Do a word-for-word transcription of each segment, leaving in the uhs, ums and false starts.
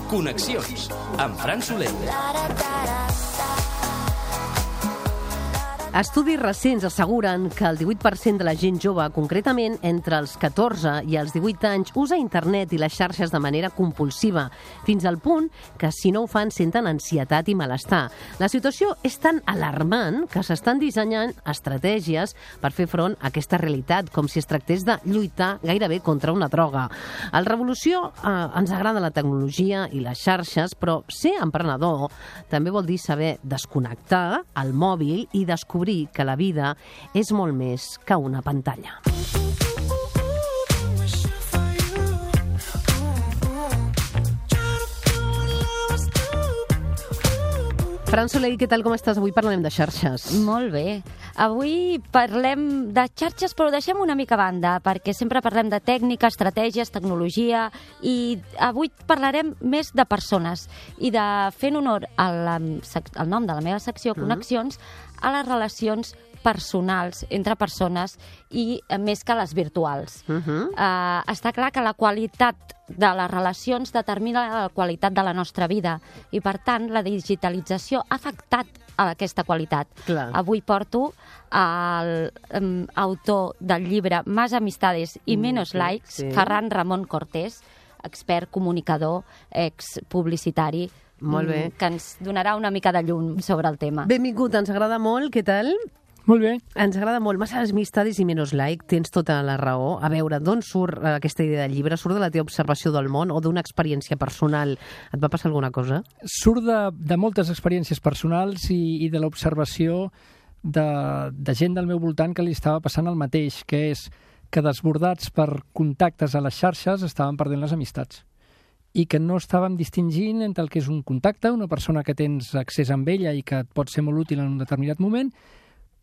Connexions, amb Fran Soler. Estudis recents asseguren que el divuit per cent de la gent jove, concretament entre els catorze i els divuit anys, usa internet i les xarxes de manera compulsiva, fins al punt que si no ho fan senten ansietat i malestar. La situació és tan alarmant que s'estan dissenyant estratègies per fer front a aquesta realitat, com si es tractés de lluitar gairebé contra una droga. Al Revolució eh, ens agrada la tecnologia i les xarxes, però ser emprenedor també vol dir saber desconnectar el mòbil i descobrir que la vida és molt més que una pantalla. Fran Soler, què tal, com estàs? Avui parlarem de xarxes. Molt bé. Avui parlem de xarxes, però ho deixem una mica a banda, perquè sempre parlem de tècnica, estratègies, tecnologia, i avui parlarem més de persones i de, fent honor al, al nom de la meva secció, Connexions, a les relacions personals entre persones i més que les virtuals. Uh -huh. uh, està clar que la qualitat de les relacions determina la qualitat de la nostra vida i, per tant, la digitalització ha afectat a aquesta qualitat. Clar. Avui porto l'autor um, del llibre Más amistades y menos mm, likes, sí. Ferran Ramon Cortés, expert comunicador, ex-publicitari, molt bé, que ens donarà una mica de llum sobre el tema. Benvingut, ens agrada molt, què tal? Molt bé. Ens agrada molt. Más amistades i menos like, tens tota la raó. A veure, d'on surt aquesta idea del llibre? Surt de la teva observació del món o d'una experiència personal? Et va passar alguna cosa? Surt de, de moltes experiències personals i, i de l'observació de, de gent del meu voltant que li estava passant el mateix, que és que desbordats per contactes a les xarxes estaven perdent les amistats i que no estàvem distingint entre el que és un contacte, una persona que tens accés amb ella i que et pot ser molt útil en un determinat moment,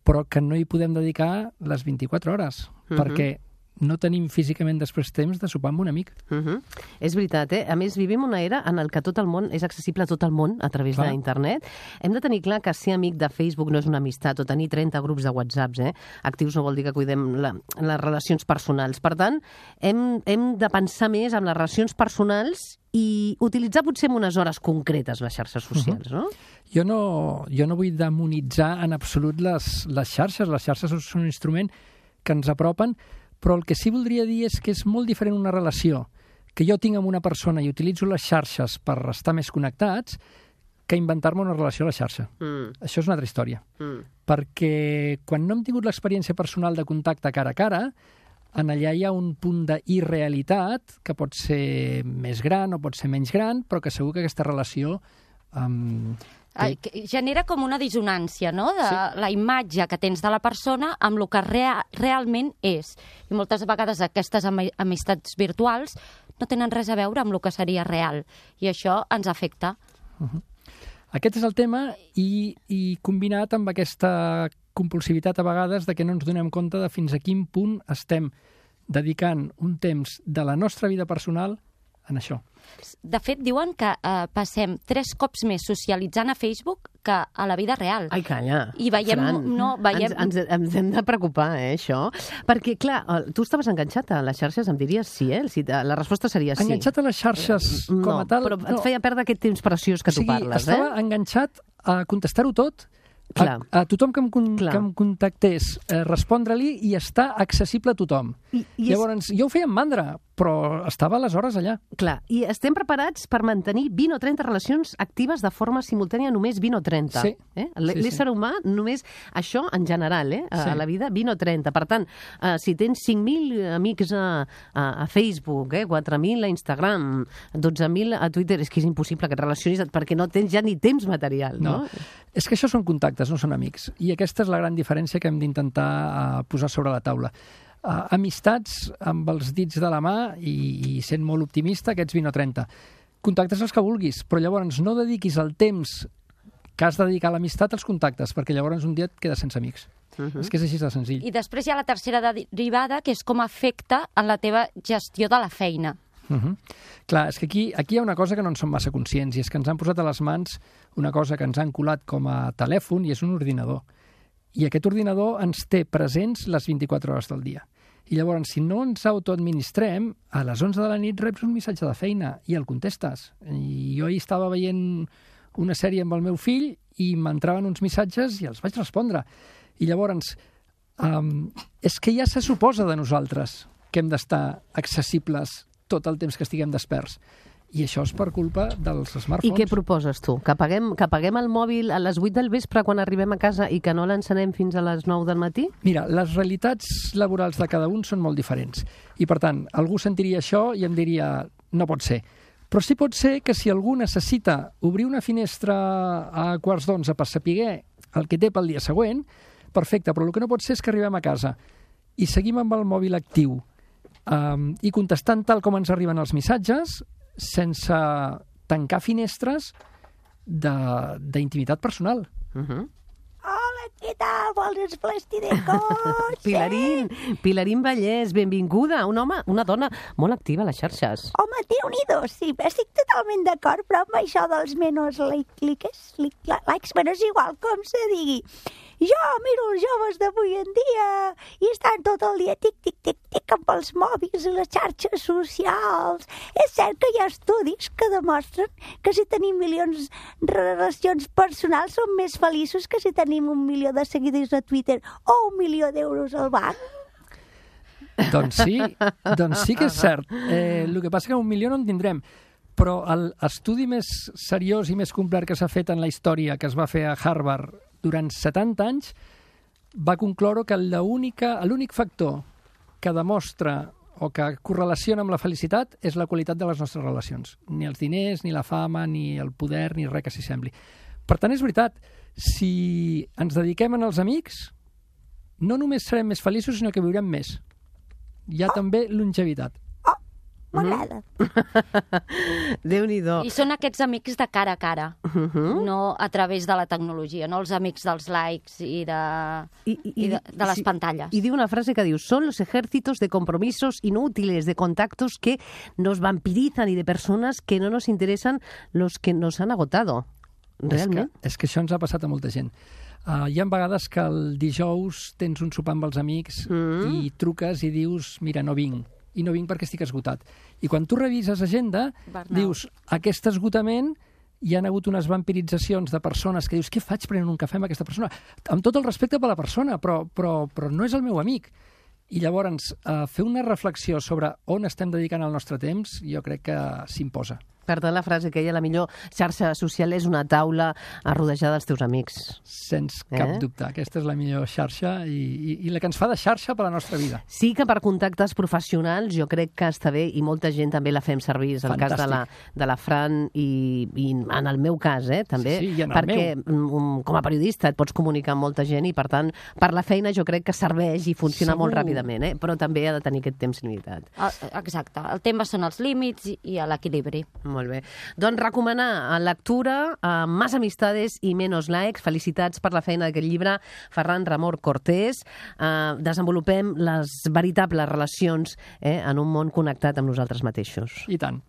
però que no hi podem dedicar les vint-i-quatre hores, uh-huh. perquè no tenim físicament després temps de sopar amb un amic. Uh-huh. És veritat, eh? A més, vivim una era en el que tot el món és accessible a tot el món a través clar. d'internet. Hem de tenir clar que ser amic de Facebook no és una amistat, o tenir trenta grups de WhatsApps, eh? Actius no vol dir que cuidem la, les relacions personals. Per tant, hem, hem de pensar més en les relacions personals i utilitzar potser en unes hores concretes les xarxes socials, no? Uh-huh. Jo no, jo no vull demonitzar en absolut les, les xarxes. Les xarxes són un instrument que ens apropen, però el que sí voldria dir és que és molt diferent una relació que jo tinc amb una persona i utilitzo les xarxes per estar més connectats que inventar-me una relació a la xarxa. Mm. Això és una altra història. Mm. Perquè quan no hem tingut l'experiència personal de contacte cara a cara, en allà hi ha un punt d'irrealitat que pot ser més gran o pot ser menys gran, però que segur que aquesta relació... Um, Ai, genera com una dissonància, no?, de sí. la imatge que tens de la persona amb el que rea realment és. I moltes vegades aquestes amistats virtuals no tenen res a veure amb el que seria real. I això ens afecta. Uh-huh. Aquest és el tema i, i combinat amb aquesta compulsivitat a vegades de que no ens donem compte de fins a quin punt estem dedicant un temps de la nostra vida personal en això. De fet, diuen que eh, passem tres cops més socialitzant a Facebook que a la vida real. Ai, calla. I veiem... Fran, no, veiem... Ens, ens, ens hem de preocupar, eh, això. Perquè, clar, tu estaves enganxat a les xarxes, em diries sí, eh? La resposta seria sí. Enganxat a les xarxes com no, a tal... Però no, et feia perdre aquest temps preciós que o sigui, tu parles, estava eh? Estava enganxat a contestar-ho tot, a, a tothom que em, con, que em contactés, eh, respondre-li i estar accessible a tothom. I, i Llavors, és... jo ho feia amb mandra, però estava aleshores allà. Clar, i estem preparats per mantenir vint o trenta relacions actives de forma simultània, només vint o trenta. Sí. Eh? L'ésser sí, sí. humà, només això en general, eh? A, sí. a la vida, vint o trenta. Per tant, eh, si tens cinc mil amics a, a, a Facebook, eh? quatre mil a Instagram, dotze mil a Twitter, és que és impossible que et relacionis perquè no tens ja ni temps material, no? no. És que això són contactes, no són amics. I aquesta és la gran diferència que hem d'intentar uh, posar sobre la taula. Uh, amistats amb els dits de la mà i, i sent molt optimista, aquests vint o trenta. Contactes els que vulguis, però llavors no dediquis el temps que has de dedicar a l'amistat als contactes, perquè llavors un dia et quedes sense amics. Uh-huh. És que és així de senzill. I després hi ha la tercera derivada, que és com afecta en la teva gestió de la feina. Uh -huh. Clar, és que aquí, aquí hi ha una cosa que no en som massa conscients, i és que ens han posat a les mans una cosa que ens han colat com a telèfon, i és un ordinador. I aquest ordinador ens té presents les vint-i-quatre hores del dia. I llavors, si no ens autoadministrem, a les onze de la nit reps un missatge de feina i el contestes. I jo ahir estava veient una sèrie amb el meu fill i m'entraven uns missatges i els vaig respondre. I llavors, um, és que ja se suposa de nosaltres que hem d'estar accessibles tot el temps que estiguem desperts. I això és per culpa dels smartphones. I què proposes tu? Que apaguem, que apaguem el mòbil a les vuit del vespre quan arribem a casa i que no l'encenem fins a les nou del matí? Mira, les realitats laborals de cada un són molt diferents. I, per tant, algú sentiria això i em diria no pot ser. Però sí pot ser que si algú necessita obrir una finestra a quarts d'onze per saber el que té pel dia següent, perfecte, però el que no pot ser és que arribem a casa i seguim amb el mòbil actiu um, i contestant tal com ens arriben els missatges sense tancar finestres d'intimitat personal. Uh -huh. Hola, què tal? Vols esplèstir de cos? Pilarín, Pilarín Vallès, benvinguda. Un home, una dona molt activa a les xarxes. Home, déu-n'hi-do, sí, estic totalment d'acord, però amb això dels menos like, likes, like, likes, bueno, és igual com se digui. Jo miro els joves d'avui en dia i estan tot el dia tic, tic, tic, tic amb els mòbils i les xarxes socials. És cert que hi ha estudis que demostren que si tenim milions de relacions personals som més feliços que si tenim un milió de seguidors a Twitter o un milió d'euros al banc. Doncs sí, doncs sí que és cert. Eh, el que passa que un milió no en tindrem. Però l'estudi més seriós i més complet que s'ha fet en la història, que es va fer a Harvard durant setanta anys, va concloure que l'únic factor que demostra o que correlaciona amb la felicitat és la qualitat de les nostres relacions. Ni els diners, ni la fama, ni el poder, ni res que s'hi sembli. Per tant, és veritat, si ens dediquem als amics, no només serem més feliços, sinó que viurem més. Hi ha oh. també longevitat. M'agrada. Déu-n'hi-do. I són aquests amics de cara a cara, Uh -huh. no a través de la tecnologia, no els amics dels likes i de, I, i, i de, de les sí, pantalles. I diu una frase que diu: son los ejércitos de compromisos inútiles, de contactos que nos vampirizan y de personas que no nos interesan los que nos han agotado. Realment? És que, és que això ens ha passat a molta gent. Uh, hi ha vegades que el dijous tens un sopar amb els amics mm. i truques i dius, mira, no vinc. I no vinc perquè estic esgotat. I quan tu revises agenda, Burnout. dius, aquest esgotament hi ha hagut unes vampiritzacions de persones que dius, què faig prenent un cafè amb aquesta persona? Amb tot el respecte per la persona, però, però, però no és el meu amic. I llavors, eh, fer una reflexió sobre on estem dedicant el nostre temps, jo crec que s'imposa. Per tant, la frase que ella, la millor xarxa social és una taula rodejada dels teus amics. Sens cap Eh? dubte. Aquesta és la millor xarxa i, i, i la que ens fa de xarxa per a la nostra vida. Sí que per contactes professionals jo crec que està bé i molta gent també la fem servir. És el Fantàstic. cas de la, de la Fran i, i en el meu cas, eh, també. Sí, sí, i en el perquè um, com a periodista et pots comunicar amb molta gent i, per tant, per la feina jo crec que serveix i funciona Segur. molt ràpidament, eh? Però també ha de tenir aquest temps limitat. El, exacte. El tema són els límits i, i l'equilibri. Molt bé. Doncs recomanar lectura, eh, Más amistades i menos likes. Felicitats per la feina d'aquest llibre, Ferran Ramon Cortés. Eh, desenvolupem les veritables relacions eh, en un món connectat amb nosaltres mateixos. I tant.